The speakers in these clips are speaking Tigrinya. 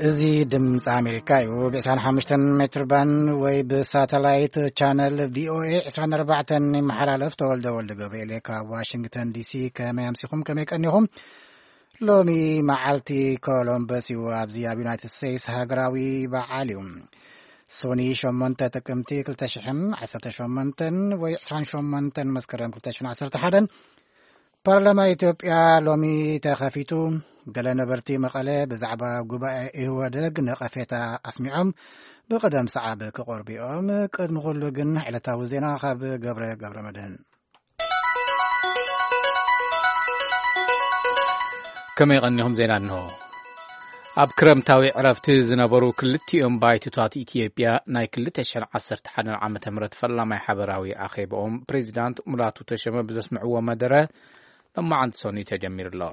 እዚ ድምፂ ኣሜሪካ እዩ። ብ25 ሜትር ባንድ ወይ ብሳተላይት ቻነል ቪኦኤ 24 ይመሓላለፍ። ተወልደ ወልደ ገብርኤል ካብ ዋሽንግተን ዲሲ። ከመይ ኣምሲኹም፣ ከመይ ቀኒኹም? ሎሚ መዓልቲ ኮሎምበስ እዩ። ኣብዚ ኣብ ዩናይትድ ስቴትስ ሃገራዊ በዓል እዩ። ሶኒ 8 ጥቅምቲ 2018 ወይ 28 መስከረም 2011። ፓርላማ ኢትዮጵያ ሎሚ ተኸፊቱ። ገለ ነበርቲ መቐለ ብዛዕባ ጉባኤ ኢህወደግ ነቐፌታ ኣስሚዖም። ብቐደም ሰዓብ ክቐርቡ እዮም። ቅድሚ ኩሉ ግን ዕለታዊ ዜና ካብ ገብረ ገብረ መድህን። ከመይ ቀኒኹም? ዜና እንሆ። ኣብ ክረምታዊ ዕረፍቲ ዝነበሩ ክልቲኦም ባይቶታት ኢትዮጵያ ናይ 2011 ዓመተ ምህረት ፈላማይ ሓበራዊ ኣኼባኦም ፕሬዚዳንት ሙላቱ ተሸመ ብዘስምዕዎ መደረ ሎማዓንቲ ሰኑይ ተጀሚሩ ኣሎ።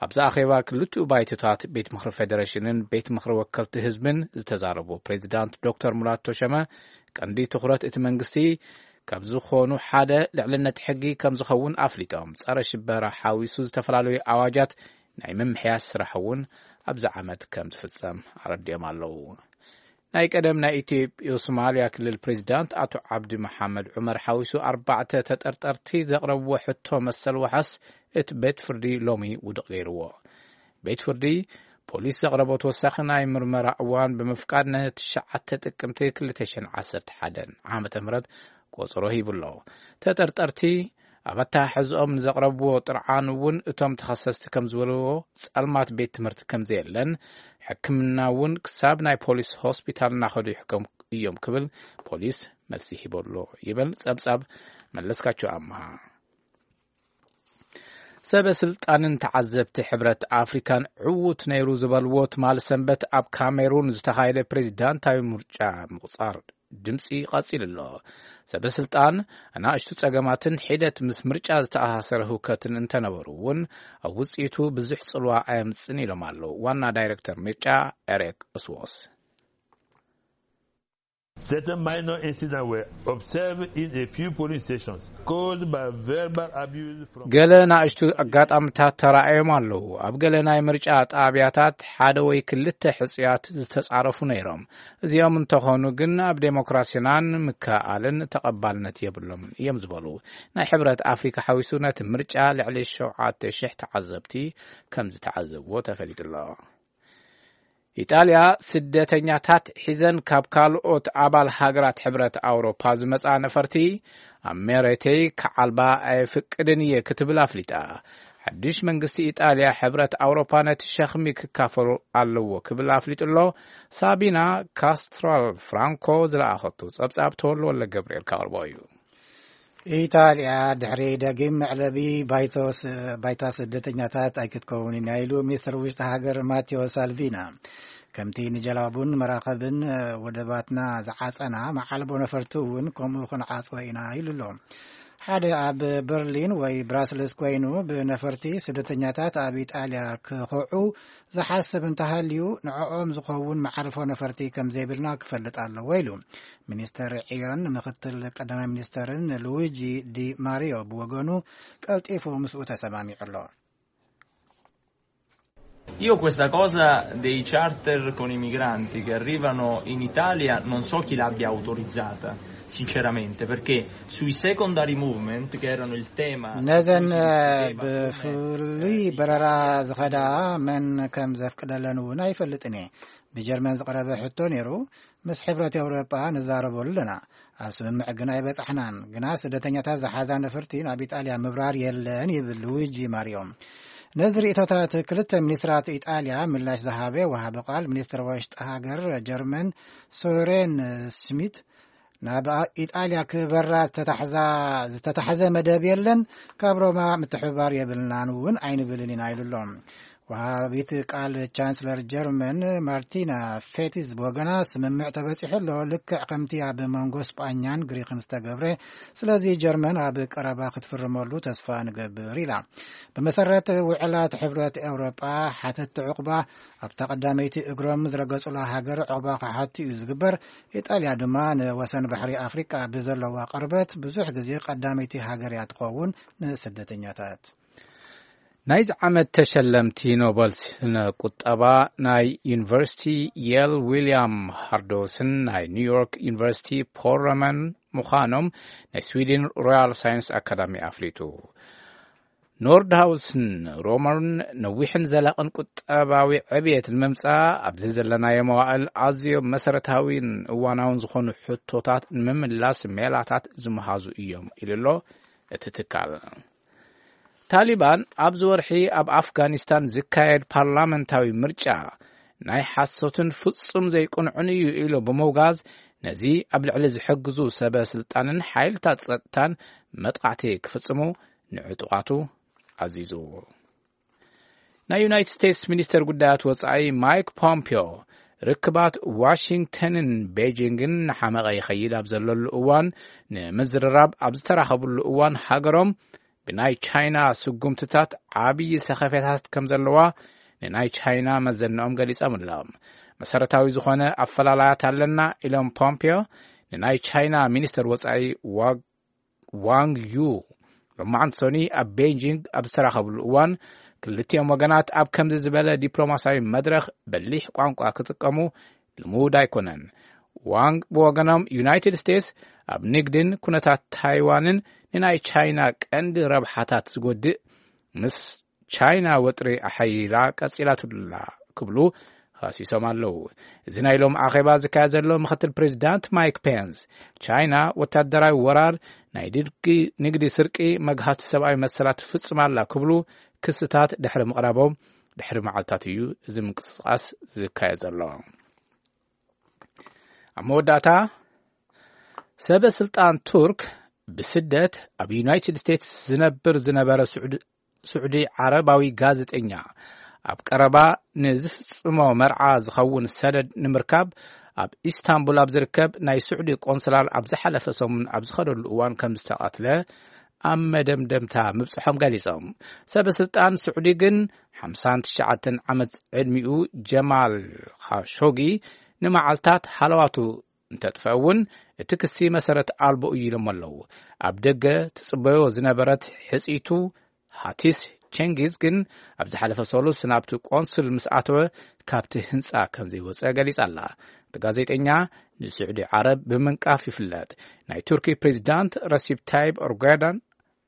ኣብዚ ኣኼባ ክልቲኡ ባይቶታት ቤት ምኽሪ ፌዴሬሽንን ቤት ምኽሪ ወከልቲ ህዝብን ዝተዛረቡ ፕሬዚዳንት ዶክተር ሙላቱ ተሸመ ቀንዲ ትኹረት እቲ መንግስቲ ካብ ዝኾኑ ሓደ ልዕልነት ሕጊ ከም ዝኸውን ኣፍሊጦም፣ ጸረ ሽበራ ሓዊሱ ዝተፈላለዩ ኣዋጃት ናይ ምምሕያስ ስራሕ እውን ኣብዚ ዓመት ከም ዝፍጸም ኣረዲኦም ኣለዉ። ናይ ቀደም ናይ ኢትዮጵዮ ሶማልያ ክልል ፕሬዚዳንት ኣቶ ዓብዲ መሓመድ ዑመር ሓዊሱ ኣርባዕተ ተጠርጠርቲ ዘቕረብዎ ሕቶ መሰል ዋሕስ እቲ ቤት ፍርዲ ሎሚ ውድቕ ገይርዎ። ቤት ፍርዲ ፖሊስ ዘቕረቦ ተወሳኺ ናይ ምርመራ እዋን ብምፍቃድ ን9 ጥቅምቲ 2011 ዓመተ ምህረት ቆጸሮ ሂቡ ኣሎ። ተጠርጠርቲ ኣብ ኣተሓሕዝኦም ንዘቕረብዎ ጥርዓን እውን እቶም ተኸሰስቲ ከም ዝበልዎ ጸልማት ቤት ትምህርቲ ከም ዘየለን ሕክምና እውን ክሳብ ናይ ፖሊስ ሆስፒታል እናኸዱ ይሕከሙ እዮም ክብል ፖሊስ መልሲ ሂቡ ኣሎ ይብል ጸብጻብ መለስካቸው ኣምሃ። ሰበ ስልጣንን ተዓዘብቲ ሕብረት ኣፍሪካን ዕዉት ነይሩ ዝበልዎ ትማሊ ሰንበት ኣብ ካሜሩን ዝተኻየደ ፕሬዚዳንታዊ ምርጫ ምቁጻር ድምፂ ቀፂሉ ኣሎ። ሰበ ስልጣን ኣናእሽቱ ጸገማትን ሒደት ምስ ምርጫ ዝተኣሳሰረ ህውከትን እንተነበሩ እውን ኣብ ውፅኢቱ ብዙሕ ጽልዋ ኣየምፅን ኢሎም ኣለዉ ዋና ዳይሬክተር ምርጫ ኤሪክ እስዎስ። Certain minor incidents were observed in a few polling stations caused by verbal abuse from ገለ ናእሽቱ ኣጋጣምታት ተራእዮም ኣለዉ። ኣብ ገለ ናይ ምርጫ ጣብያታት ሓደ ወይ ክልተ ሕጹያት ዝተጻረፉ ነይሮም። እዚኦም እንተኾኑ ግን ኣብ ዴሞክራሲናን ምክእኣልን ተቐባልነት የብሎምን እዮም ዝበሉ። ናይ ሕብረት ኣፍሪካ ሓዊሱ ነቲ ምርጫ ልዕሊ ሸውዓተ ሽሕ ተዓዘብቲ ከም ዝተዓዘብዎ ተፈሊጡ ኣሎ። ኢጣልያ ስደተኛታት ሒዘን ካብ ካልኦት ኣባል ሃገራት ሕብረት ኣውሮፓ ዝመጻ ነፈርቲ ኣብ መሬተይ ክዓልባ ኣይፍቅድን እየ ክትብል ኣፍሊጣ። ሓድሽ መንግስቲ ኢጣልያ ሕብረት ኣውሮፓ ነቲ ሸኽሚ ክካፈሉ ኣለዎ ክብል ኣፍሊጡ ኣሎ። ሳቢና ካስትራል ፍራንኮ ዝለኣኸቱ ጸብጻብ ተወልወለ ገብርኤል ካቕርቦ እዩ። ኢጣልያ ድሕሪ ደጊም መዕለቢ ባይቶስ-፣ ባይታ ስደተኛታት ኣይክትከውንን እያ ኢሉ ሚኒስትር ውሽጢ ሃገር ማቴዎ ሳልቪና። ከምቲ ንጀላቡን መራኸብን ወደባትና ዝዓጸና መዓልቦ ነፈርቲ እውን ከምኡ ክንዓጽዎ ኢና ኢሉ ኣሎ። ሓደ ኣብ በርሊን ወይ ብራስልስ ኮይኑ ብነፈርቲ ስደተኛታት ኣብ ኢጣልያ ክኸዑ ዝሓስብ እንተሃልዩ ንዕኦም ዝኸውን መዓርፎ ነፈርቲ ከም ዘይብልና ክፈልጥ ኣለዎ ኢሉ። ሚኒስተር ዕዮን ምኽትል ቀዳማይ ሚኒስተርን ሉዊጂ ዲ ማሪዮ ብወገኑ ቀልጢፉ ምስኡ ተሰማሚዑ ኣሎ። Io questa cosa dei charter con i migranti che arrivano in Italia non so chi l'abbia autorizzata, sinceramente, perché sui secondary movement, che erano il tema ነዘን ብፍሉይ በረራ ዝኸዳ መን ከም ዘፍቅደለን እውን ኣይፈልጥን እየ። ብጀርመን ዝቐረበ ሕቶ ነይሩ። ምስ ሕብረት ኤውሮጳ ንዛረበሉ ኣለና። ኣብ ስምምዕ ግን ኣይበጻሕናን። ግና ስደተኛታት ዝሓዛ ነፈርቲ ናብ ኢጣልያ ምብራር የለን ይብል ሉዊጂ ማሪዮ። ነዚ ርእቶታት ክልተ ሚኒስትራት ኢጣልያ ምላሽ ዝሃበ ወሃቢ ቃል ሚኒስትር ወሽጢ ሃገር ጀርመን ሶሬን ስሚት ናብ ኢጣልያ ክበራ ዝተታሕዛ-፣ ዝተታሕዘ መደብ የለን። ካብ ሮማ ምትሕብባር የብልናን እውን ኣይንብልን ኢና ኢሉ ኣሎ። ወሃቢት ቃል ቻንስለር ጀርመን ማርቲና ፌቲዝ ብወገና ስምምዕ ተበጺሑ ኣሎ፣ ልክዕ ከምቲ ኣብ መንጎ ስጳኛን ግሪክን ዝተገብረ። ስለዚ ጀርመን ኣብ ቀረባ ክትፍርመሉ ተስፋ ንገብር ኢላ። ብመሰረት ውዕላት ሕብረት ኤውሮጳ ሓተቲ ዕቑባ ኣብታ ቀዳመይቲ እግሮም ዝረገጹላ ሃገር ዕቑባ ክሓቱ እዩ ዝግበር። ኢጣልያ ድማ ንወሰን ባሕሪ ኣፍሪቃ ብዘለዋ ቅርበት ብዙሕ ግዜ ቀዳመይቲ ሃገር እያ ትኸውን ንስደተኛታት። ናይዚ ዓመት ተሸለምቲ ኖበል ስነ ቁጠባ ናይ ዩኒቨርሲቲ የል ዊልያም ሃርዶስን ናይ ኒውዮርክ ዩኒቨርሲቲ ፖል ረመን ምዃኖም ናይ ስዊድን ሮያል ሳይንስ ኣካዳሚ ኣፍሊጡ። ኖርድሃውስን ሮመርን ነዊሕን ዘላቕን ቁጠባዊ ዕብየት ንምምጻእ ኣብዚ ዘለናዮ መዋእል ኣዝዮም መሰረታዊን እዋናውን ዝኾኑ ሕቶታት ንምምላስ ሜላታት ዝመሃዙ እዮም ኢሉ ኣሎ እቲ ትካል። ታሊባን ኣብዚ ወርሒ ኣብ ኣፍጋኒስታን ዝካየድ ፓርላመንታዊ ምርጫ ናይ ሓሶትን ፍጹም ዘይቅንዑን እዩ ኢሉ ብምውጋዝ፣ ነዚ ኣብ ልዕሊ ዝሕግዙ ሰበ ስልጣንን ሓይልታት ጸጥታን መጥቃዕቲ ክፍጽሙ ንዕጡቓቱ ኣዚዙ። ናይ ዩናይትድ ስቴትስ ሚኒስተር ጉዳያት ወጻኢ ማይክ ፖምፒዮ ርክባት ዋሽንግተንን ቤጂንግን ንሓመቐ ይኸይድ ኣብ ዘለሉ እዋን፣ ንምዝርራብ ኣብ ዝተራኸብሉ እዋን ሃገሮም ብናይ ቻይና ስጉምትታት ዓብዪ ሰኸፌታት ከም ዘለዋ ንናይ ቻይና መዘንኦም ገሊጾም ኣለዉ። መሰረታዊ ዝኾነ ኣፈላላያት ኣለና ኢሎም ፖምፒዮ ንናይ ቻይና ሚኒስተር ወጻኢ ዋግ ዋንግ ዩ ሎማዓንቲ ሰኒ ኣብ ቤጂንግ ኣብ ዝተራኸብሉ እዋን፣ ክልቲኦም ወገናት ኣብ ከምዚ ዝበለ ዲፕሎማሲያዊ መድረኽ በሊሕ ቋንቋ ክጥቀሙ ልሙድ ኣይኮነን። ዋንግ ብወገኖም፣ ዩናይትድ ስቴትስ ኣብ ንግድን ኩነታት ታይዋንን ንናይ ቻይና ቀንዲ ረብሓታት ዝጎድእ ምስ ቻይና ወጥሪ ኣሓይላ ቀጺላትላ ክብሉ ኸሲሶም ኣለዉ። እዚ ናይ ሎም ኣኼባ ዝካየድ ዘሎ ምኽትል ፕሬዚዳንት ማይክ ፔንስ፣ ቻይና ወታደራዊ ወራር፣ ናይ ድልቂ ንግዲ ስርቂ፣ መግሃቲ ሰብኣዊ መሰላት ትፍጽም ኣላ ክብሉ ክስታት ድሕሪ ምቕራቦም ድሕሪ መዓልታት እዩ እዚ ምንቅስቃስ ዝካየድ ዘሎ። ኣብ መወዳእታ፣ ሰበ ስልጣን ቱርክ ብስደት ኣብ ዩናይትድ ስቴትስ ዝነብር ዝነበረ ስዑዲ ስዑዲ ዓረባዊ ጋዜጠኛ፣ ኣብ ቀረባ ንዝፍጽሞ መርዓ ዝኸውን ሰነድ ንምርካብ ኣብ ኢስታንቡል ኣብ ዝርከብ ናይ ስዑዲ ቆንስላል ኣብ ዝሓለፈ ሰሙን ኣብ ዝኸደሉ እዋን ከም ዝተቐትለ ኣብ መደምደምታ ምብጽሖም ገሊጾም። ሰበ ስልጣን ስዑዲ ግን ሓምሳን ትሽዓተን ዓመት ዕድሚኡ ጀማል ኻሾጊ ንመዓልታት ሃለዋቱ እንተጥፈ እውን፣ እቲ ክሲ መሰረት ኣልቦ እዩ ኢሎም ኣለዉ። ኣብ ደገ ትጽበዮ ዝነበረት ሕጽይቱ ሃቲስ ቸንጊዝ ግን ኣብ ዝሓለፈ ሰሉስ ናብቲ ቆንስል ምስ ኣተወ፣ ካብቲ ህንጻ ከም ዘይወጸ ገሊጻ ኣላ። እቲ ጋዜጠኛ ንስዑዲ ዓረብ ብምንቃፍ ይፍለጥ። ናይ ቱርኪ ፕሬዚዳንት ረሲብ ታይብ ኦርጋዳን፣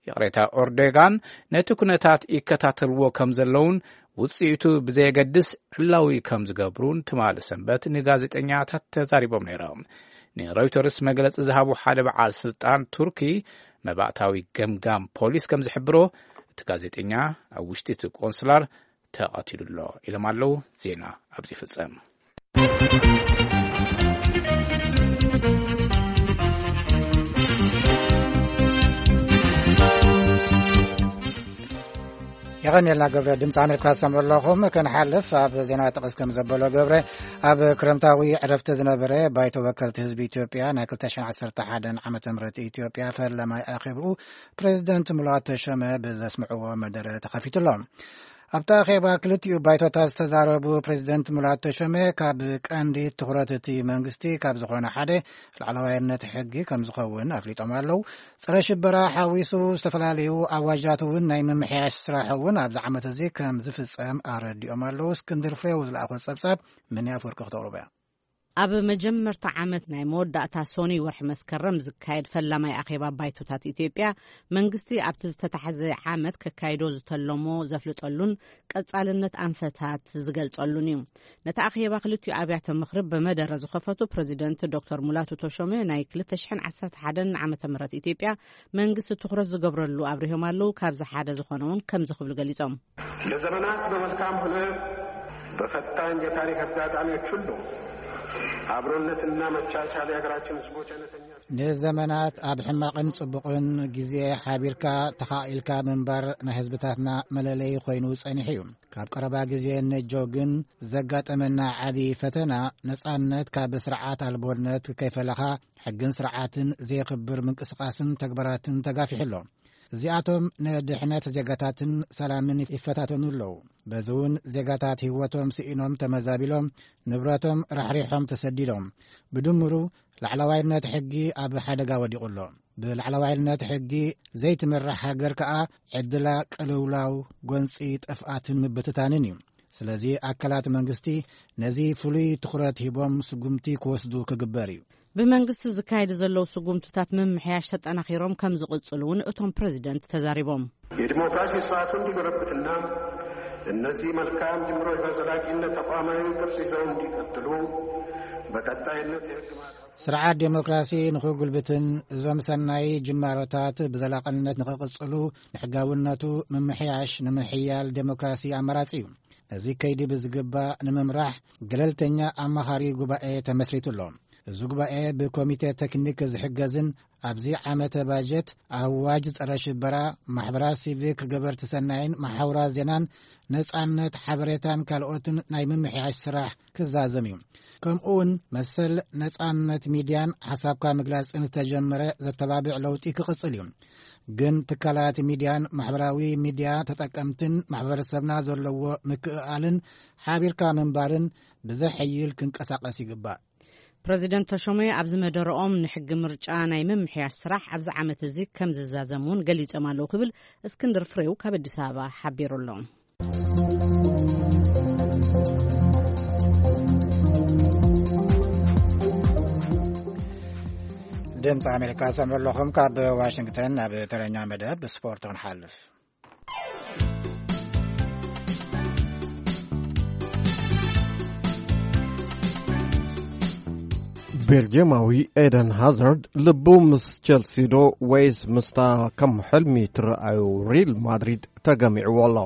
ይቕሬታ፣ ኦርዶጋን ነቲ ኩነታት ይከታተልዎ ከም ዘለውን ውጽኢቱ ብዘየገድስ ዕላዊ ከም ዝገብሩን ትማሊ ሰንበት ንጋዜጠኛታት ተዛሪቦም ነይሮም። ንሮይተርስ መግለጺ ዝሃቡ ሓደ በዓል ስልጣን ቱርኪ፣ መባእታዊ ገምጋም ፖሊስ ከም ዝሕብሮ፣ እቲ ጋዜጠኛ ኣብ ውሽጢ እቲ ቆንስላር ተቐቲሉ ኣሎ ኢሎም ኣለዉ። ዜና ኣብዚ ይፍጸም። የቐንየልና ገብረ። ድምፂ ኣሜሪካ ትሰምዑ ኣለኹም። ክንሓልፍ፣ ኣብ ዜና ጥቕስ ከም ዘበሎ ገብረ፣ ኣብ ክረምታዊ ዕረፍቲ ዝነበረ ባይቶ ወከልቲ ህዝቢ ኢትዮጵያ ናይ ክልተ ሽሕን ዓሰርተ ሓደን ዓመተ ምህረት ኢትዮጵያ ፈለማይ ኣኼብኡ ፕሬዚደንት ሙላቱ ተሾመ ብዘስምዕዎ መደረ ተኸፊቱ ኣሎ። ኣብቲ ኣኼባ ክልቲኡ ባይቶታት ዝተዛረቡ ፕሬዚደንት ሙላቱ ተሾመ፣ ካብ ቀንዲ ትኹረት እቲ መንግስቲ ካብ ዝኾነ ሓደ ላዕለዋይነት ሕጊ ከም ዝኸውን ኣፍሊጦም ኣለዉ። ጸረ ሽበራ ሓዊሱ ዝተፈላለዩ ኣዋጃት እውን ናይ ምምሕያሽ ስራሕ እውን ኣብዚ ዓመት እዚ ከም ዝፍጸም ኣረዲኦም ኣለዉ። እስክንድር ፍሬው ዝለኣኾ ጸብጻብ ምን ኣፈወርቂ ክተቕርቡ እያ። ኣብ መጀመርታ ዓመት ናይ መወዳእታ ሶኒ ወርሒ መስከረም ዝካየድ ፈላማይ ኣኼባ ባይቶታት ኢትዮጵያ፣ መንግስቲ ኣብቲ ዝተታሕዘ ዓመት ከካይዶ ዝተለሞ ዘፍልጠሉን ቀጻልነት ኣንፈታት ዝገልጸሉን እዩ። ነቲ ኣኼባ ክልቲኡ ኣብያተ ምኽሪ ብመደረ ዝኸፈቱ ፕሬዚደንት ዶክተር ሙላቱ ተሾመ፣ ናይ ክልተ ሽሕን ዓሰርተ ሓደን ዓመተ ምህረት ኢትዮጵያ መንግስቲ ትኹረት ዝገብረሉ ኣብሪሆም ኣለዉ። ካብዚ ሓደ ዝኾነ እውን ከምዚ ክብሉ ገሊጾም። ለዘመናት በመልካም ሆነ በፈታኝ የታሪክ አጋጣሚዎች ሁሉ አብሮነትና መቻቻል የሀገራችን ህዝቦች አይነተኛ ንዘመናት ኣብ ሕማቕን ጽቡቕን ግዜ ሓቢርካ ተኻኢልካ ምንባር ናይ ህዝብታትና መለለዪ ኮይኑ ጸኒሑ እዩ። ካብ ቀረባ ግዜ ነጆ ግን ዘጋጠመና ዓቢ ፈተና፣ ነጻነት ካብ ስርዓት ኣልቦነት ከይፈለኻ፣ ሕግን ስርዓትን ዘየኽብር ምንቅስቓስን ተግባራትን ተጋፊሑ ኣሎ። እዚኣቶም ንድሕነት ዜጋታትን ሰላምን ይፈታተኑ ኣለዉ። በዚ እውን ዜጋታት ህይወቶም ስኢኖም ተመዛቢሎም፣ ንብረቶም ራሕሪሖም ተሰዲዶም። ብድምሩ ላዕለዋይነት ሕጊ ኣብ ሓደጋ ወዲቑ ኣሎ። ብላዕለዋይነት ሕጊ ዘይትምራሕ ሃገር ከኣ ዕድላ ቅልውላው፣ ጎንጺ፣ ጥፍኣትን ምብትታንን እዩ። ስለዚ ኣካላት መንግስቲ ነዚ ፍሉይ ትኹረት ሂቦም ስጉምቲ ክወስዱ ክግበር እዩ። ብመንግስቲ ዝካየዱ ዘለዉ ስጉምትታት ምምሕያሽ ተጠናኺሮም ከም ዝቕጽሉ እውን እቶም ፕረዚደንት ተዛሪቦም። የዲሞክራሲ ስርዓቱ እንዲጎለብትና እነዚህ መልካም ጅምሮች በዘላቂነት ተቋማዊ ቅርጽ ይዘው እንዲቀጥሉ በቀጣይነት የህግ ማዕቀፍ ስርዓት ዴሞክራሲ ንኽጉልብትን እዞም ሰናይ ጅማሮታት ብዘላቕነት ንኽቕጽሉ ንሕጋውነቱ ምምሕያሽ ንምሕያል ዴሞክራሲ ኣማራጺ እዩ። ነዚ ከይዲ ብዝግባእ ንምምራሕ ገለልተኛ ኣማኻሪ ጉባኤ ተመስሪቱ ኣሎ። እዚ ጉባኤ ብኮሚቴ ቴክኒክ ዝሕገዝን ኣብዚ ዓመተ ባጀት ኣዋጅ ጸረ ሽበራ፣ ማሕበራት ሲቪክ፣ ገበርቲ ሰናይን መሓውራት ዜናን ነጻነት ሓበሬታን ካልኦትን ናይ ምምሕያሽ ስራሕ ክዛዘም እዩ። ከምኡ እውን መሰል ነጻነት ሚድያን ሓሳብካ ምግላጽን ዝተጀመረ ዘተባብዕ ለውጢ ክቕጽል እዩ። ግን ትካላት ሚድያን ማሕበራዊ ሚድያ ተጠቀምትን ማሕበረሰብና ዘለዎ ምክእኣልን ሓቢርካ ምንባርን ብዘሐይል ክንቀሳቐስ ይግባእ። ፕረዚደንት ተሾመ ኣብዚ መደረኦም ንሕጊ ምርጫ ናይ ምምሕያሽ ስራሕ ኣብዚ ዓመት እዚ ከም ዝዛዘም እውን ገሊጾም ኣለዉ ክብል እስክንድር ፍሬው ካብ ኣዲስ ኣበባ ሓቢሩ ኣሎ። ድምፂ ኣሜሪካ ሰምዑ ኣለኹም። ካብ ዋሽንግተን ናብ ተረኛ መደብ ስፖርት ክንሓልፍ። ቤልጅየማዊ ኤደን ሃዛርድ ልቡ ምስ ቸልሲ ዶ ወይስ ምስታ ከም ሕልሚ ትረኣዩ ሪል ማድሪድ ተገሚዕዎ ኣሎ።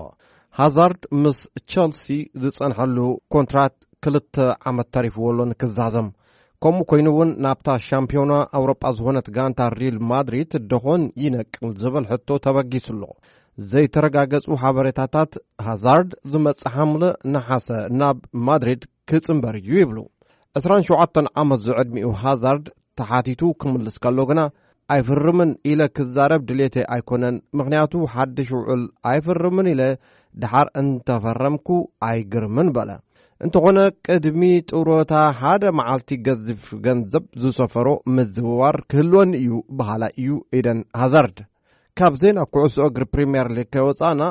ሃዛርድ ምስ ቸልሲ ዝጸንሐሉ ኮንትራት ክልተ ዓመት ተሪፍዎ ኣሎ ንክዛዘም። ከምኡ ኮይኑ እውን ናብታ ሻምፒዮና ኣውሮጳ ዝኾነት ጋንታ ሪል ማድሪድ ደኾን ይነቅል ዝብል ሕቶ ተበጊሱ ኣሎ። ዘይተረጋገጹ ሓበሬታታት ሃዛርድ ዝመጽእ ሓምለ ነሓሰ ናብ ማድሪድ ክጽንበር እዩ ይብሉ። ዕስራን ሸውዓተን ዓመት ዝዕድሚኡ ሃዛርድ ተሓቲቱ ክምልስ ከሎ ግና ኣይፍርምን ኢለ ክዛረብ ድሌተይ ኣይኮነን፣ ምኽንያቱ ሓድሽ ውዕል ኣይፍርምን ኢለ ድሓር እንተፈረምኩ ኣይግርምን በለ። እንተኾነ ቅድሚ ጥሮታ ሓደ መዓልቲ ገዚፍ ገንዘብ ዝሰፈሮ ምዝውዋር ክህልወኒ እዩ በሃላይ እዩ ኤደን ሃዛርድ። ካብ ዜና ኩዕሶ እግሪ ፕሪምየር ሊግ ከይወጻእና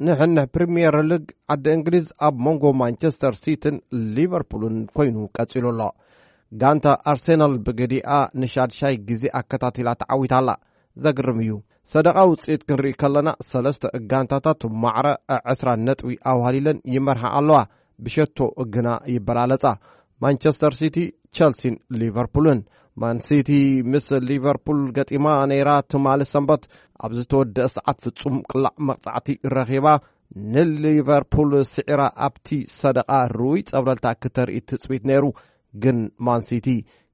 ንሕንሕ ፕሪምየር ሊግ ዓዲ እንግሊዝ ኣብ መንጎ ማንቸስተር ሲቲን ሊቨርፑልን ኮይኑ ቀጺሉ ኣሎ። ጋንታ ኣርሴናል ብገዲኣ ንሻድሻይ ግዜ ኣከታቲላ ተዓዊታ ኣላ። ዘግርም እዩ። ሰደቓ ውጽኢት ክንርኢ ከለና ሰለስተ ጋንታታት ማዕረ ዕስራ ነጥቢ ኣዋህሊለን ይመርሓ ኣለዋ። ብሸቶ ግና ይበላለጻ። ማንቸስተር ሲቲ፣ ቸልሲን ሊቨርፑልን። ማን ሲቲ ምስ ሊቨርፑል ገጢማ ነይራ ትማሊ ሰንበት ኣብ ዝተወደአ ሰዓት ፍጹም ቅላዕ መቕጻዕቲ ረኺባ ንሊቨርፑል ስዒራ ኣብቲ ሰደቓ ርኡይ ጸብለልታ ክተርኢ ትጽቢት ነይሩ። ግን ማን ሲቲ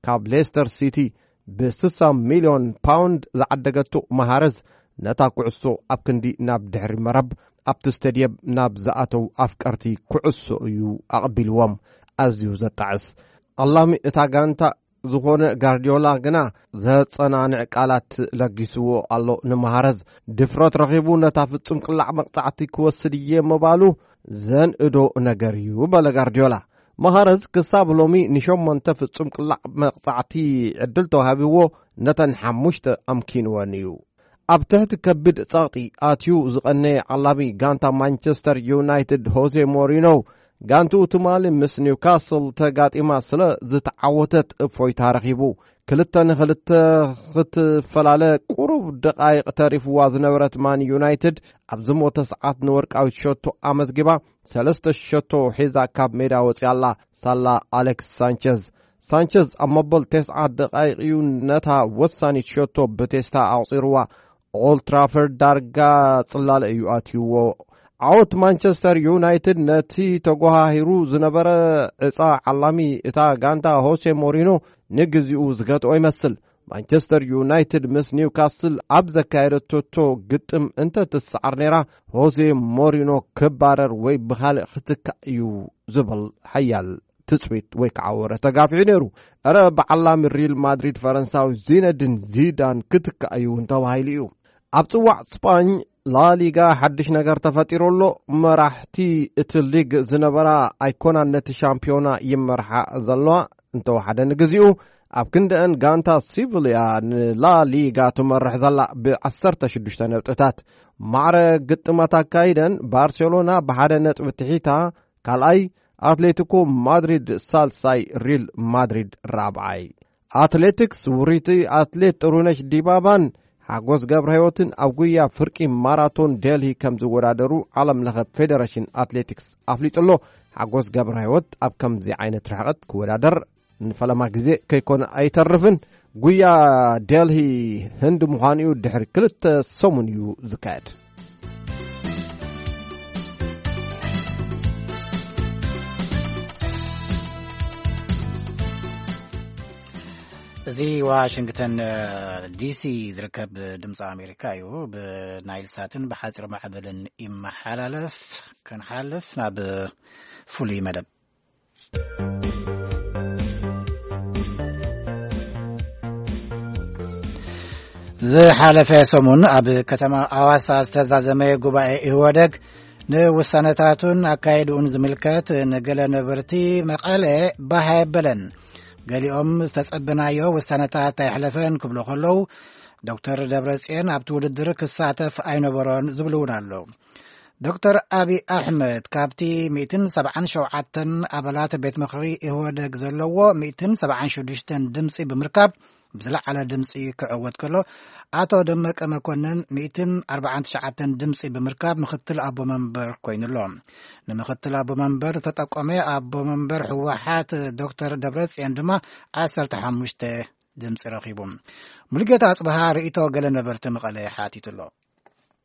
ካብ ሌስተር ሲቲ ብ ስሳ ሚልዮን ፓውንድ ዝዓደገቶ ማሃረዝ ነታ ኩዕሶ ኣብ ክንዲ ናብ ድሕሪ መረብ ኣብቲ ስቴድየም ናብ ዝኣተው ኣፍቀርቲ ኩዕሶ እዩ ኣቐቢልዎም። ኣዝዩ ዘጣዕስ። ኣላሚ እታ ጋንታ ዝኾነ ጋርዲዮላ ግና ዘጸናንዕ ቃላት ለጊስዎ ኣሎ ንማሃረዝ። ድፍረት ረኺቡ ነታ ፍጹም ቅላዕ መቕጻዕቲ ክወስድ እየ ምባሉ ዘንእዶ ነገር እዩ በለ ጋርዲዮላ። ማሃረዝ ክሳብ ሎሚ ንሸሞንተ ፍጹም ቅላዕ መቕጻዕቲ ዕድል ተዋሂብዎ ነተን ሓሙሽተ ኣምኪንወን እዩ። ኣብ ትሕቲ ከቢድ ጸቕጢ ኣትዩ ዝቐነየ ዓላሚ ጋንታ ማንቸስተር ዩናይትድ ሆዜ ሞሪኖ ጋንትኡ ትማሊ ምስ ኒውካስል ተጋጢማ ስለ ዝተዓወተት እፎይታ ረኺቡ። ክልተ ንክልተ ክትፈላለ ቁሩብ ደቓይቕ ተሪፍዋ ዝነበረት ማን ዩናይትድ ኣብ ዝሞተ ሰዓት ንወርቃዊት ሸቶ ኣመዝጊባ ሰለስተ ሸቶ ሒዛ ካብ ሜዳ ወፂኣ ኣላ። ሳላ ኣሌክስ ሳንቸዝ። ሳንቸዝ ኣብ መበል ተስዓ ደቓይቕ እዩ ነታ ወሳኒት ሸቶ ብቴስታ ኣቑፂርዋ። ኦልትራፈርድ ዳርጋ ጽላለ እዩ ኣትይዎ። ዓወት ማንቸስተር ዩናይትድ ነቲ ተጎሃሂሩ ዝነበረ ዕጻ ዓላሚ እታ ጋንታ ሆሴ ሞሪኖ ንግዚኡ ዝገትኦ ይመስል። ማንቸስተር ዩናይትድ ምስ ኒውካስል ኣብ ዘካየደቶ ግጥም እንተ ትሰዓር ነይራ፣ ሆሴ ሞሪኖ ክባረር ወይ ብኻልእ ክትካእ እዩ ዝብል ሓያል ትጽቢት ወይ ከዓ ወረ ተጋፊዑ ነይሩ። እረ ብዓላሚ ሪል ማድሪድ ፈረንሳዊ ዚነድን ዚዳን ክትካእ እዩ እውን ተባሂሉ እዩ። ኣብ ጽዋዕ ስጳኝ ላሊጋ ሓድሽ ነገር ተፈጢሩ ኣሎ። መራሕቲ እቲ ሊግ ዝነበራ ኣይኮናን ነቲ ሻምፒዮና ይመርሓ ዘለዋ። እንተወሓደ ንግዚኡ ኣብ ክንደአን ጋንታ ሲቪልያ ንላ ሊጋ ትመርሕ ዘላ ብ16 ነጥብታት። ማዕረ ግጥማት ኣካይደን ባርሴሎና ብሓደ ነጥቢ ትሒታ ካልኣይ፣ ኣትሌቲኮ ማድሪድ ሳልሳይ፣ ሪል ማድሪድ ራብዓይ። ኣትሌቲክስ ውሪቲ ኣትሌት ጥሩነሽ ዲባባን ሓጎስ ገብረ ህይወትን ኣብ ጉያ ፍርቂ ማራቶን ዴልሂ ከም ዝወዳደሩ ዓለም ለኸ ፌደሬሽን ኣትሌቲክስ ኣፍሊጡ ኣሎ። ሓጎስ ገብረ ህይወት ኣብ ከምዚ ዓይነት ርሕቐት ክወዳደር ንፈለማ ግዜ ከይኮነ ኣይተርፍን። ጉያ ዴልሂ ህንድ ምዃኑ እዩ፣ ድሕሪ ክልተ ሰሙን እዩ ዝካየድ። እዚ ዋሽንግተን ዲሲ ዝርከብ ድምፂ ኣሜሪካ እዩ። ብናይል ሳትን ብሓፂር ማዕበልን ይመሓላለፍ። ክንሓልፍ ናብ ፍሉይ መደብ። ዝሓለፈ ሰሙን ኣብ ከተማ ኣዋሳ ዝተዛዘመ ጉባኤ ኢህወደግ ንውሳነታቱን ኣካይድኡን ዝምልከት ንገለ ነበርቲ መቐለ ባህ ኣየበለን። ገሊኦም ዝተጸበናዮ ውሳነታት ኣይሕለፈን ክብሉ ከለዉ፣ ዶክተር ደብረጽዮን ኣብቲ ውድድር ክሳተፍ ኣይነበሮን ዝብሉ እውን ኣለዉ። ዶክተር ኣብይ ኣሕመድ ካብቲ ሚእትን ሰብዓን ሸውዓተን ኣባላት ቤት ምኽሪ ኢህወደግ ዘለዎ ሚእትን ሰብዓን ሽዱሽተን ድምፂ ብምርካብ ብዝለዓለ ድምፂ ክዕወት ከሎ፣ ኣቶ ደመቀ መኮንን ሚእትን ኣርባዓን ትሽዓተን ድምፂ ብምርካብ ምኽትል ኣቦ መንበር ኮይኑሎ። ንምኽትል ኣቦ መንበር ዝተጠቆመ ኣቦ መንበር ህወሓት ዶክተር ደብረፅዮን ድማ ዓሰርተ ሓሙሽተ ድምፂ ረኺቡ። ሙሉጌታ ኣፅበሃ ርእይቶ ገለ ነበርቲ መቐለ ሓቲቱሎ።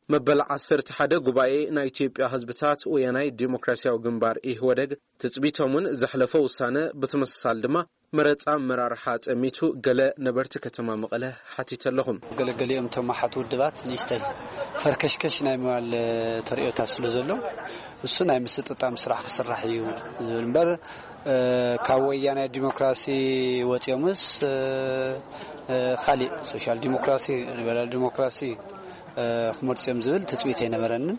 መበል ዓሰርተ ሓደ ጉባኤ ናይ ኢትዮጵያ ህዝብታት ወያናይ ዲሞክራሲያዊ ግንባር ኢህወደግ ትጽቢቶምን ዘሕለፎ ውሳነ ብተመሳሳሊ ድማ መረጻ ኣመራርሓ ጠሚቱ ገለ ነበርቲ ከተማ መቐለ ሓቲተ ኣለኹም። ገለገሊኦም እቶም ኣሓት ውድባት ንእሽተይ ፈርከሽከሽ ናይ ምባል ተርእዮታት ስለ ዘሎ እሱ ናይ ምስጥጣም ስራሕ ክስራሕ እዩ ዝብል እምበር፣ እ፣ ካብ ወያናይ ዲሞክራሲ ወፂኦምስ፣ እ፣ እ፣ ካሊእ ሶሻል ዲሞክራሲ፣ ሊበራል ዲሞክራሲ፣ እ፣ ክመርፁ እዮም ዝብል ትፅቢት ኣይነበረንን።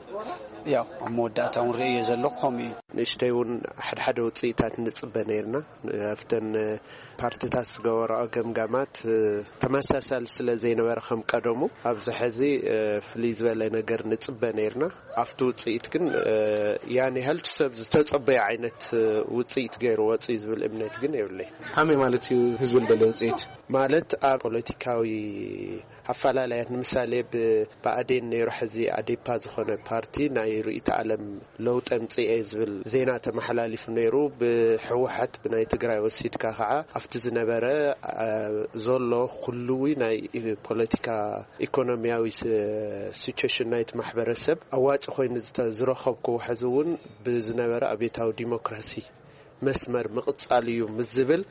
ያው ኣብ መወዳእታ እውን ርእዮ ዘለኹ ከምኡ እዩ። ንእሽተይ እውን ሓድሓደ ውፅኢታት ንፅበ ነይርና። ኣብተን ፓርቲታት ዝገበረኦ ገምጋማት፣ እ፣ ተመሳሳሊ ስለ ዘይነበረ ከም ቀደሙ ኣብዚ ሕዚ፣ እ፣ ፍልይ ዝበለ ነገር ንፅበ ነይርና። ኣብቲ ውፅኢት ግን፣ እ፣ ያን ያህል ሰብ ዝተፀበየ ዓይነት፣ እ፣ ውፅኢት ገይሩ ወፅኡ ዝብል እምነት ግን የብለይ። ከመይ ማለት እዩ ህዝቢ ዝደለዮ ውፅኢት? ማለት ኣብ ፖለቲካዊ ኣፈላላያት ንምሳሌ ብ-፣ ብኣዴን ነይሩ ሕዚ ኣዴፓ ዝኾነ ፓርቲ ናይ ርእይተ ዓለም ለውጢ ኣምፅኤ ዝብል ዜና ተመሓላሊፉ ነይሩ። ብህወሓት ብናይ ትግራይ ወሲድካ ከዓ ኣብቲ ዝነበረ፣ ኣ፣ ዘሎ ኩሉዊ ናይ ፖለቲካ ኢኮኖሚያዊ ስ-፣ ሲቹዌሽን ናይቲ ማሕበረሰብ ኣዋፂ ኮይኑ ዝተ-፣ ዝረኸብክዎ ሕዚ እውን ብዝነበረ ኣብዮታዊ ዲሞክራሲ መስመር ምቕፃል እዩ ምስ ዝብል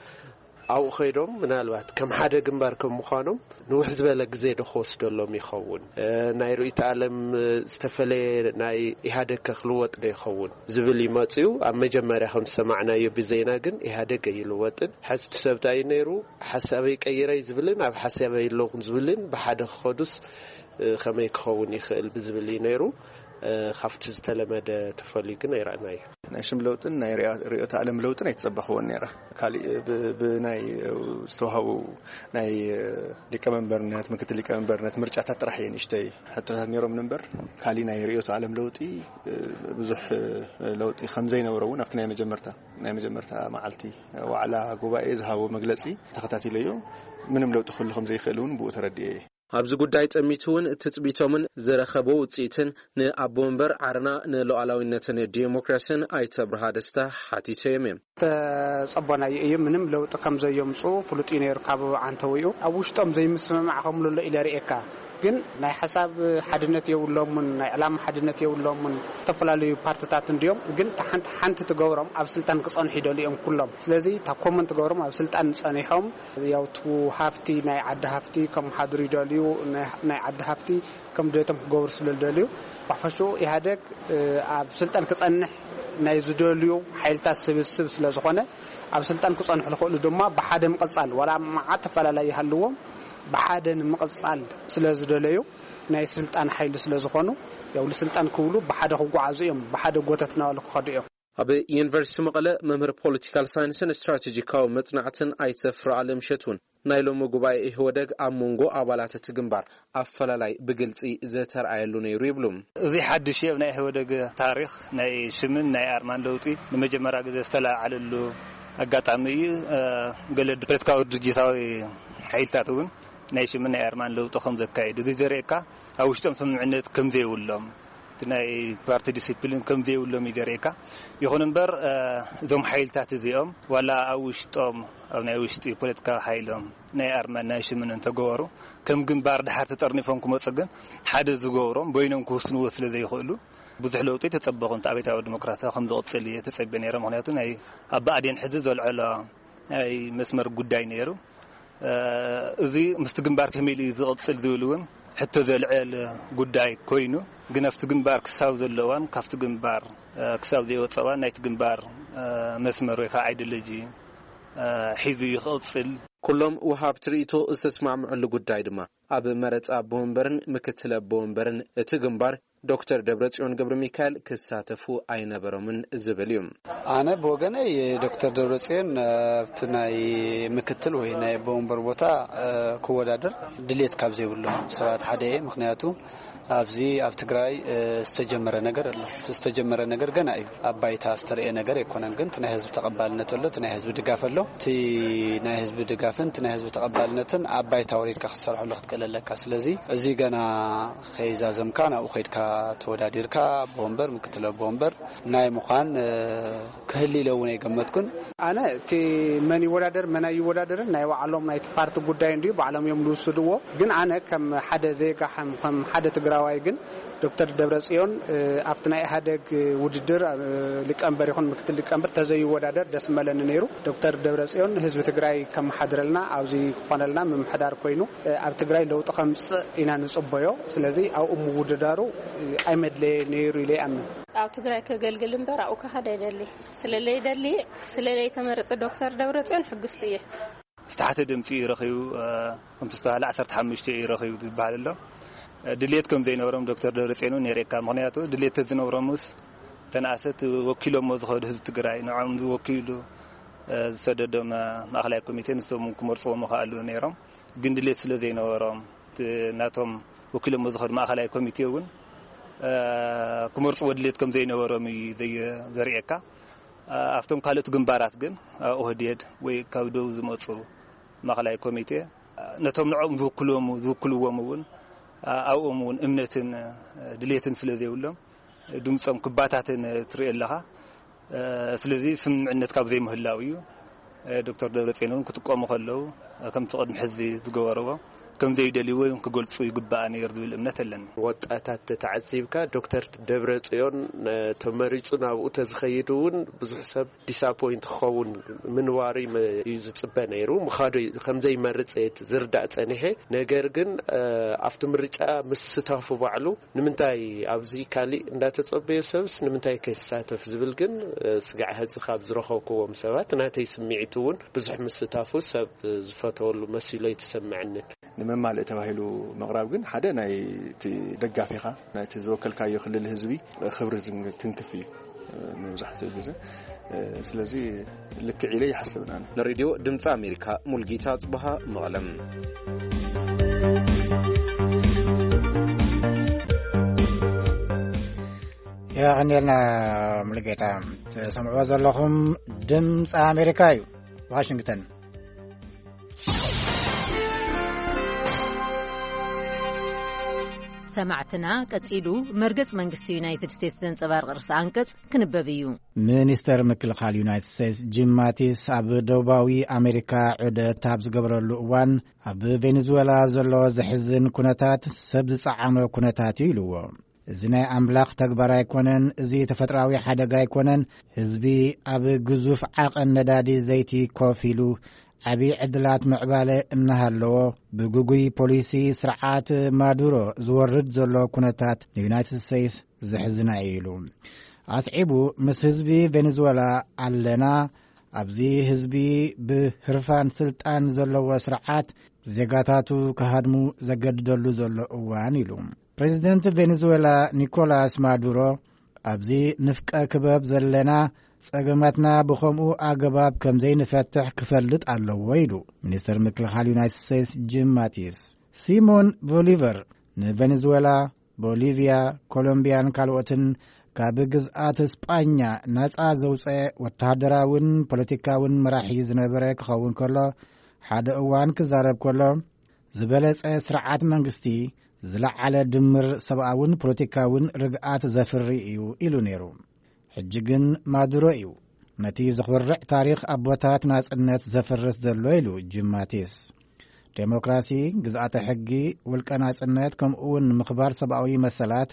ኣብኡ ከይዶም ምናልባት ከም ሓደ ግንባር ከም ምዃኖም ንውሕ ዝበለ ግዜ ዶ ክወስደሎም ይኸውን? እ፣ ናይ ርእይተ ዓለም ዝተፈለየ ናይ ኢህኣደግ ከ ክልወጥ ዶ ይኸውን ዝብል ይመጽኡ። ኣብ መጀመርያ ከም ዝሰማዕናዮ ብዜና ግን ኢህኣደግ ኣይልወጥን። ሕዚ እቲ ሰብ እንታይ እዩ ነይሩ? ሓሳበይ ቀይረይ ዝብልን ኣብ ሓሳበይ ኣለኹን ዝብልን ብሓደ ክኸዱስ፣ እ፣ ከመይ ክኸውን ይኽእል ብዝብል እዩ ነይሩ። እ፣ ካብቲ ዝተለመደ ተፈልዩ ግን ኣይረኣናዮ። ናይ ሽም ለውጥን ናይ ርያ-፣ ርዕዮተ ዓለም ለውጥን ኣይተጸበኽዎን ነይረ። ካሊእ ብ-፣ ብናይ ዝተዋህቡ ናይ ሊቀመንበርነት፣ ምክትል ሊቀመንበርነት ምርጫታት ጥራሕ እየ ንእሽተይ ሕቶታት ነይሮም እምበር፣ ካሊእ ናይ ርዕዮተ ዓለም ለውጢ ብዙሕ ለውጢ ከም ዘይነበረ እውን ኣብቲ ናይ መጀመርታ፣ ናይ መጀመርታ መዓልቲ ዋዕላ ጉባኤ ዝሃቦ መግለጺ ተኸታቲለዮ። ምንም ለውጢ ክህሉ ከም ዘይክእል እውን ብኡ ተረዲኤ እየ። ኣብዚ ጉዳይ ጠሚቱ እውን ትጽቢቶምን ዝረኸቦ ውጽኢትን ንኣቦ መንበር ዓረና ንሉዓላዊነትን ዲሞክራስን ኣይተ ኣብርሃ ደስታ ሓቲተዮም እዮም። ተጸቦናዮ እዩ። ምንም ለውጢ ከም ዘየምጽኡ ፍሉጥ እዩ ነይሩ ካብ ዓንተዊኡ። ኣብ ውሽጦም ዘይምስምማዕ ከም ዘሎ ኢለ ርእየካ። ግን ናይ ሓሳብ ሓድነት የብሎምን፣ ናይ ዕላማ ሓድነት የብሎምን። ዝተፈላለዩ ፓርትታት እንድዮም፣ ግን እታ ሓንቲ ሓንቲ ትገብሮም ኣብ ስልጣን ክጸንሑ ይደልዩ እዮም ኩሎም። ስለዚ እታ ኮመን ትገብሮም ኣብ ስልጣን ጸኒሖም፣ ያው እቲ ሃፍቲ ናይ ዓዲ ሃፍቲ ከም ሓድሩ ይደልዩ፣ ናይ፣ ናይ ዓዲ ሃፍቲ ከም ድሌቶም ክገብሩ ስለ ዝደልዩ፣ ብሓፈሽኡ ኢህኣደግ፣ እ፣ ኣብ ስልጣን ክጸንሕ ናይ ዝደልዩ ሓይልታት ስብስብ ስለ ዝኾነ፣ ኣብ ስልጣን ክጸንሑ ዝኽእሉ ድማ ብሓደ ምቕጻል፣ ዋላ መዓት ተፈላለይ ይሃልዎም፣ ብሓደ ንምቕጻል ስለ ዝደለዩ፣ ናይ ስልጣን ሓይሊ ስለ ዝኾኑ፣ ያው ንስልጣን ክብሉ ብሓደ ክጓዓዙ እዮም፣ ብሓደ ጎተት እናበሉ ክኸዱ እዮም። ኣብ ዩኒቨርሲቲ መቐለ መምህር ፖለቲካል ሳይንስን ስትራቴጂካዊ መጽናዕትን ኣይተ ፍርኣለም እሸት እውን ናይ ሎሚ ጉባኤ ኢህወደግ ኣብ መንጎ ኣባላት እቲ ግንባር ኣፈላላይ ብግልጺ ዘተርኣየሉ ነይሩ ይብሉ። እዚ ሓድሽ እዩ። ኣብ ናይ ኢህወደግ ታሪኽ ናይ ሽምን ናይ ኣርማን ለውጢ ንመጀመርያ ግዜ ዝተለዓለሉ ኣጋጣሚ እዩ። ገለ ፖለቲካዊ ድርጅታዊ ሓይልታት እውን ናይ ሽምን ናይ ኣርማን ለውጢ ከም ዘካየዱ እዚ ዘርእየካ ኣብ ውሽጦም ስምምዕነት ከም ዘይብሎም፣ እቲ ናይ ፓርቲ ዲሲፕሊን ከም ዘይብሎም እዩ ዘርእየካ። ይኹን እምበር እዞም ሓይልታት እዚኦም ዋላ ኣብ ውሽጦም ኣብ ናይ ውሽጢ ፖለቲካዊ ሓይሎም ናይ ኣርማን ናይ ሽምን እንተገበሩ ከም ግንባር ድሓር ተጠርኒፎም ክመፁ ግን ሓደ ዝገብሮም በይኖም ክውስንዎ ስለ ዘይኽእሉ ብዙሕ ለውጢ ተፀበኹ። እንተ ኣብዮታዊ ዲሞክራሲ ከም ዝቕፅል እየ ተፀቢየ ነይረ። ምክንያቱ ናይ ኣብ ብኣዴን ሕዚ ዘልዐሎ ናይ መስመር ጉዳይ ነይሩ። እዚ ምስቲ ግንባር ከመይ ኢሉ ዝቕፅል ዝብል እውን ሕቶ ዘልዕል ጉዳይ ኮይኑ፣ ግን ኣብቲ ግንባር ክሳብ ዘሎ እዋን ካብቲ ግንባር ክሳብ ዘይወፀ እዋን ናይቲ ግንባር መስመር ወይ ከዓ ኣይዲዮሎጂ ሒዙ እዩ ክቕፅል። ኩሎም ወሃብቲ ርእይቶ ዝተስማምዐሉ ጉዳይ ድማ ኣብ መረፃ ኣቦ ወንበርን ምክትል ኣቦ ወንበርን እቲ ግንባር ዶክተር ደብረጽዮን ገብረ ሚካኤል ክሳተፉ ኣይነበሮምን ዝብል እዩ። ኣነ ብወገነይ ዶክተር ደብረጽዮን ኣብቲ ናይ ምክትል ወይ ናይ ኣቦ ወንበር ቦታ ክወዳደር ድሌት ካብ ዘይብሎም ሰባት ሓደ እየ። ምክንያቱ ኣብዚ ኣብ ትግራይ ዝተጀመረ ነገር ኣሎ። እቲ ዝተጀመረ ነገር ገና እዩ። ኣብ ባይታ ዝተረኤ ነገር ኣይኮነን። ግን እቲ ናይ ህዝቢ ተቐባልነት ኣሎ፣ እቲ ናይ ህዝቢ ድጋፍ ኣሎ። እቲ ናይ ህዝቢ ድጋፍን እቲ ናይ ህዝቢ ተቐባልነትን ኣብ ባይታ ወሪድካ ክትሰርሐሉ ክትክእል ኣለካ። ስለዚ እዚ ገና ከይዛዘምካ ናብኡ ከይድካ ተወዳዲርካ ኣቦ ወንበር፣ ምክትል ኣቦ ወንበር ናይ ምዃን ክህሊ ኢለ እውን ኣይገመትኩን። ኣነ እቲ መን ይወዳደር መን ኣይወዳደርን ናይ ባዕሎም ናይቲ ፓርቲ ጉዳይ እንድዩ፣ ባዕሎም እዮም ዝውስድዎ። ግን ኣነ ከም ሓደ ዜጋ ከም ሓደ ትግራዋይ ግን ዶክተር ደብረጽዮን ኣብቲ ናይ ኢህኣደግ ውድድር ሊቀመንበር ይኹን ምክትል ሊቀመንበር ተዘይወዳደር ደስ መለኒ ነይሩ። ዶክተር ደብረጽዮን ህዝቢ ትግራይ ከመሓድረልና ኣብዚ ክኾነልና ምምሕዳር ኮይኑ ኣብ ትግራይ ለውጢ ከምፅእ ኢና ንፅበዮ። ስለዚ ኣብኡ ምውድዳሩ ኣይመድለየ ነይሩ ኢለ ይኣምን። ኣብ ትግራይ ከገልግል እምበር ኣብኡ ክኸድ ኣይደሊ። ስለለይደሊ ስለለይተመረፀ ዶክተር ደብረፅዮን ሕጉስቲ እየ። ዝተሓተ ድምፂ እዩ ረኺቡ። ከምቲ ዝተባሃለ ዓሰርተ ሓሙሽተ እዩ ረኺቡ ዝበሃል ኣሎ። ድሌት ከም ዘይነበሮም ዶክተር ደብረፅዮን እውን የርእየካ። ምክንያቱ ድሌት ተዝነብሮምስ ተናእሰት ወኪሎሞ ዝኸዱ ህዝቢ ትግራይ ንዖም ዝወኪሉ ዝሰደዶም ማእኸላይ ኮሚቴ ንሶም ክመርፅዎ ምኽኣሉ ነይሮም። ግን ድሌት ስለ ዘይነበሮም ናቶም ወኪሎሞ ዝኸዱ ማእኸላይ ኮሚቴ እውን ክመርፅዎ ድሌት ከም ዘይነበሮም እዩ ዘርእየካ። ኣብቶም ካልኦት ግንባራት ግን ኦህዴድ ወይ ካብ ደቡብ ዝመፁ ማእኸላይ ኮሚቴ ነቶም ንዕኦም ዝውክልዎም ዝውክልዎም እውን ኣብኦም እውን እምነትን ድሌትን ስለ ዘይብሎም ድምፆም ክባታተን ትርኢ ኣለኻ። ስለዚ ስምምዕነት ካብ ዘይምህላው እዩ። ዶክተር ደብረፅዮን እውን ክጥቀሙ ከለዉ ከምቲ ቅድሚ ሕዚ ዝገበርዎ ከም ዘይደልይዎ ክገልፁ ይግባእ ነይሩ ዝብል እምነት ኣለኒ። ወጣታት ተተዓዚብካ ዶክተር ደብረፅዮን ተመሪፁ ናብኡ ተዝኸይድ እውን ብዙሕ ሰብ ዲስኣፖይንት ክኸውን ምንባሩ እዩ ዝፅበ ነይሩ። ምኻዱ ከም ዘይመርፅ እየ ዝርዳእ ፀኒሐ። ነገር ግን ኣብቲ ምርጫ ምስታፉ ባዕሉ ንምንታይ ኣብዚ ካሊእ እንዳተፀበዮ ሰብስ ንምንታይ ከይሳተፍ ዝብል ግን ስጋዕ ሕዚ ካብ ዝረኸብክዎም ሰባት ናተይ ስምዒት እውን ብዙሕ ምስታፉ ሰብ ዝፈተወሉ መሲሉ ኣይተሰምዐንን። ንመማልእ ተባሂሉ ምቕራብ ግን ሓደ ናይ እቲ ደጋፊኻ ናይቲ ዝወከልካዮ ክልል ህዝቢ ክብሪ ዝን- ትንክፍ እዩ መብዛሕትኡ ግዜ። ስለዚ ልክዕ ኢለ ይሓስብን ኣነ። ንሬድዮ ድምፂ ኣሜሪካ ሙልጌታ ጽብሃ መቐለም። የቐንየልና ሙሉጌታ። ትሰምዕዎ ዘለኹም ድምፂ ኣሜሪካ እዩ፣ ዋሽንግተን። ሰማዕትና፣ ቀጺሉ መርገጽ መንግስቲ ዩናይትድ ስቴትስ ዘንጸባርቕ ርእሰ ኣንቀጽ ክንበብ እዩ። ሚኒስተር ምክልኻል ዩናይትድ ስቴትስ ጂም ማቲስ ኣብ ደቡባዊ ኣሜሪካ ዑደት ኣብ ዝገበረሉ እዋን፣ ኣብ ቬኔዙዌላ ዘሎ ዘሕዝን ኩነታት ሰብ ዝጸዓኖ ኩነታት እዩ ኢልዎ። እዚ ናይ ኣምላኽ ተግባር ኣይኮነን፣ እዚ ተፈጥሮኣዊ ሓደጋ ኣይኮነን፣ ህዝቢ ኣብ ግዙፍ ዓቐን ነዳዲ ዘይቲ ኮፍ ኢሉ ዓቢ ዕድላት ምዕባለ እናሃለዎ፣ ብግጉይ ፖሊሲ ስርዓት ማዱሮ ዝወርድ ዘሎ ኩነታት ንዩናይትድ ስቴትስ ዘሕዝና እዩ ኢሉ። ኣስዒቡ፣ ምስ ህዝቢ ቬኔዙዌላ ኣለና፣ ኣብዚ ህዝቢ ብህርፋን ስልጣን ዘለዎ ስርዓት ዜጋታቱ ክሃድሙ ዘገድደሉ ዘሎ እዋን ኢሉ። ፕሬዚደንት ቬኔዙዌላ ኒኮላስ ማዱሮ፣ ኣብዚ ንፍቀ ክበብ ዘለና ጸገማትና ብኸምኡ ኣገባብ ከም ዘይንፈትሕ ክፈልጥ ኣለዎ ኢሉ ሚኒስተር ምክልኻል ዩናይትድ ስቴትስ ጂም ማቲስ። ሲሞን ቦሊቨር ንቬኔዙዌላ፣ ቦሊቪያ፣ ኮሎምቢያን ካልኦትን ካብ ግዝኣት ስጳኛ ናጻ ዘውጸ ወተሃደራውን ፖለቲካውን መራሒ ዝነበረ ክኸውን ከሎ፣ ሓደ እዋን ክዛረብ ከሎ፣ ዝበለጸ ስርዓት መንግስቲ ዝለዓለ ድምር ሰብኣውን ፖለቲካውን ርግኣት ዘፍሪ እዩ ኢሉ ነይሩ። ሕጂ ግን ማዱሮ እዩ ነቲ ዘኹርዕ ታሪኽ ኣቦታት ናጽነት ዘፍርስ ዘሎ ኢሉ ጂም ማቲስ። ዴሞክራሲ፣ ግዝኣተ ሕጊ፣ ውልቀ ናጽነት፣ ከምኡ እውን ምኽባር ሰብኣዊ መሰላት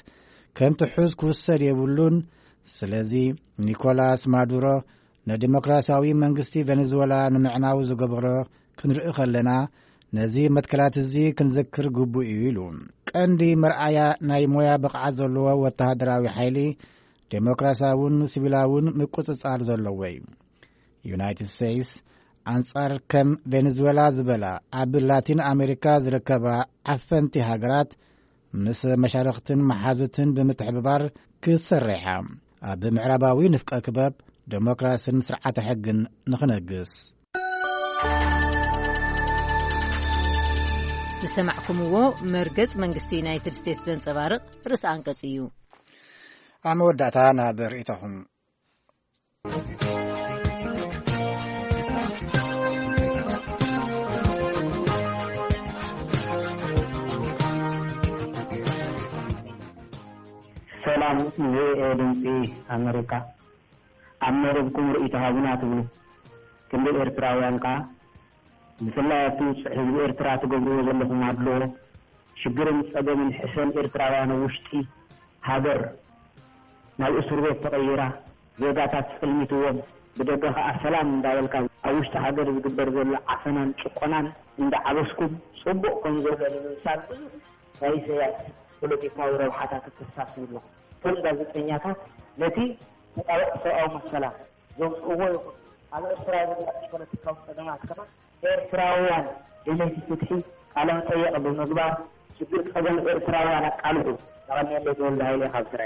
ከም ትሑዝ ክውሰድ የብሉን። ስለዚ ኒኮላስ ማዱሮ ንዲሞክራሲያዊ መንግስቲ ቬኔዙዌላ ንምዕናው ዝገብሮ ክንርኢ ከለና፣ ነዚ መትከላት እዚ ክንዝክር ግቡእ እዩ ኢሉ። ቀንዲ መርኣያ ናይ ሞያ ብቕዓት ዘለዎ ወተሃደራዊ ሓይሊ፣ ዴሞክራሲያውን ሲቪላውን ምቁጽጻር ዘለዎ እዩ። ዩናይትድ ስቴትስ ኣንጻር ከም ቬኔዙዌላ ዝበላ ኣብ ላቲን ኣሜሪካ ዝርከባ ዓፈንቲ ሃገራት ምስ መሻርኽትን መሓዙትን ብምትሕብባር ክትሰርሕ እያ። ኣብ ምዕራባዊ ንፍቀ ክበብ ዴሞክራሲን ስርዓተ ሕግን ንኽነግስ። ዝሰማዕኩምዎ መርገጽ መንግስቲ ዩናይትድ ስቴትስ ዘንጸባርቕ ርእሲ ኣንቀጽ እዩ። ኣብ መወዳእታ ናብ ርእይቶኹም። ሰላም፣ ቪኦኤ ድምፂ ኣሜሪካ። ኣብ መደብኩም ርእይቶ ሃቡና ትብሉ። ክንዲ ኤርትራውያን ከኣ፣ ብፍላይ ኣብቲ ውፅዕ ህዝቢ ኤርትራ ትገብርዎ ዘለኹም ኣድልዎ፣ ሽግርን ጸገምን ሕሰም ኤርትራውያን ኣብ ውሽጢ ሃገር ናብ እስር ቤት ተቐይራ፣ ዜጋታት ጽልሚትዎም፣ ብደገ ከኣ ሰላም እንዳበልካ ኣብ ውሽጢ ሃገር ዝግበር ዘሎ ዓፈናን ጭቆናን እንዳዓበስኩም ጽቡቕ ከም ዘሎ ንምምሳል ብዙሕ ናይ ኢሳያስ ፖለቲካዊ ረብሓታት እተሳስዩ ኣለኹም። እቶም ጋዜጠኛታት ነቲ ተጣበቕቲ ሰብኣዊ መሰላት ዘውፅእዎ ይኹን ኣብ ኤርትራ ዘሎ ፖለቲካዊ ጸገማት ከኣ ኤርትራውያን ደለይቲ ፍትሒ ቃለ መጠየቕ ብምግባር ሽግር ጸገም ኤርትራውያን ኣቃልሑ። የቐንየለይ ተወልደ ሃይለ ካብ ስረ።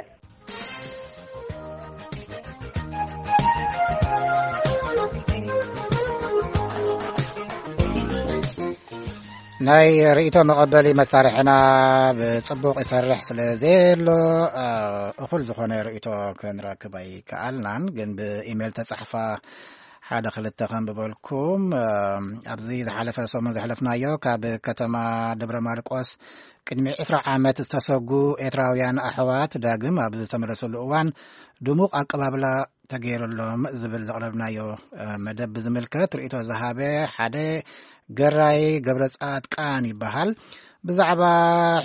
ናይ ርእይቶ መቐበሊ መሳርሕና ብጽቡቕ ይሰርሕ ስለ ዘየሎ፣ እ፣ እኹል ዝኾነ ርእይቶ ክንረክብ ኣይከኣልናን። ግን ብኢሜል ተጻሕፋ ሓደ ክልተ ከንብበልኩም። እ፣ ኣብዚ ዝሓለፈ ሰሙን ዘሕለፍናዮ፣ ካብ ከተማ ደብረ ማርቆስ ቅድሚ ዕስራ ዓመት ዝተሰጉ ኤርትራውያን ኣሕዋት ዳግም ኣብ ዝተመለሱሉ እዋን ድሙቕ ኣቀባብላ ተገይሩሎም ዝብል ዘቕረብናዮ፣ እ፣ መደብ ብዝምልከት ርእይቶ ዝሃበ ሓደ ገራይ ገብረ ጻድቃን ይበሃል። ብዛዕባ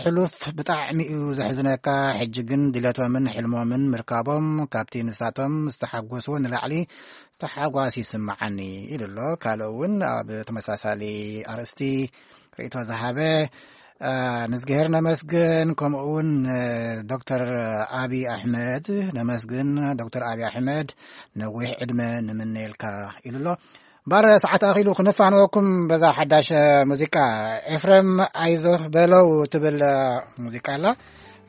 ሕሉፍ ብጣዕሚ እዩ ዘሕዝነካ፣ ሕጂ ግን ድሌቶምን ሕልሞምን ምርካቦም ካብቲ ንሳቶም ዝተሓጎስዎ ንላዕሊ ተሓጓስ ይስምዓኒ ኢሉ ኣሎ። ካልእ እውን ኣብ ተመሳሳሊ ኣርእስቲ ርእይቶ ዝሃበ፣ እ፣ ንእዝግሄር ነመስግን፣ ከምኡ እውን፣ እ፣ ዶክተር ኣቢ ኣሕመድ ነመስግን። ዶክተር ኣቢ ኣሕመድ ነዊሕ ዕድመ ንምነየልካ ኢሉ ኣሎ። እምበኣር ሰዓት ኣኺሉ ክንፋንወኩም በዛ ሓዳሽ ሙዚቃ። ኤፍሬም ኣይዞህ በለው ትብል ሙዚቃ ኣላ።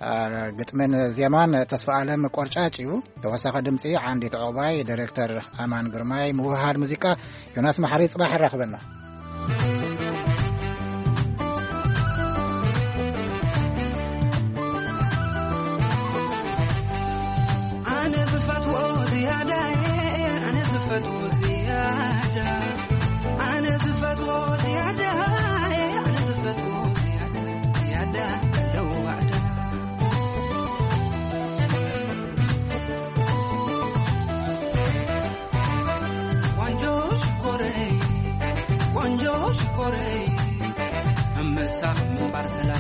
አ፣ ግጥምን ዜማን ተስፋ ኣለም ቆርጫጭ እዩ። ተወሳኺ ድምፂ ዓንዲት ዕቑባይ፣ ዳይሬክተር ኣማን ግርማይ፣ ምውሃድ ሙዚቃ ዮናስ መሓሪ። ፅባሕ ኣራኽበና። ኣነ ዝፈትዎ ዝያዳ፣ ኣነ ዝፈትዎ ዝያዳ፣ ኣነ ዝፈትዎ ዝያዳ፣ ኣነ ዝፈትዎ ዝያዳ፣ ዝያዳ ኣለዎ ዋዕዳ። ቆንጆ ሽኮረይ፣ ቆንጆ ሽኮረይ፣ እመሳኽ ምንባር ሰላም።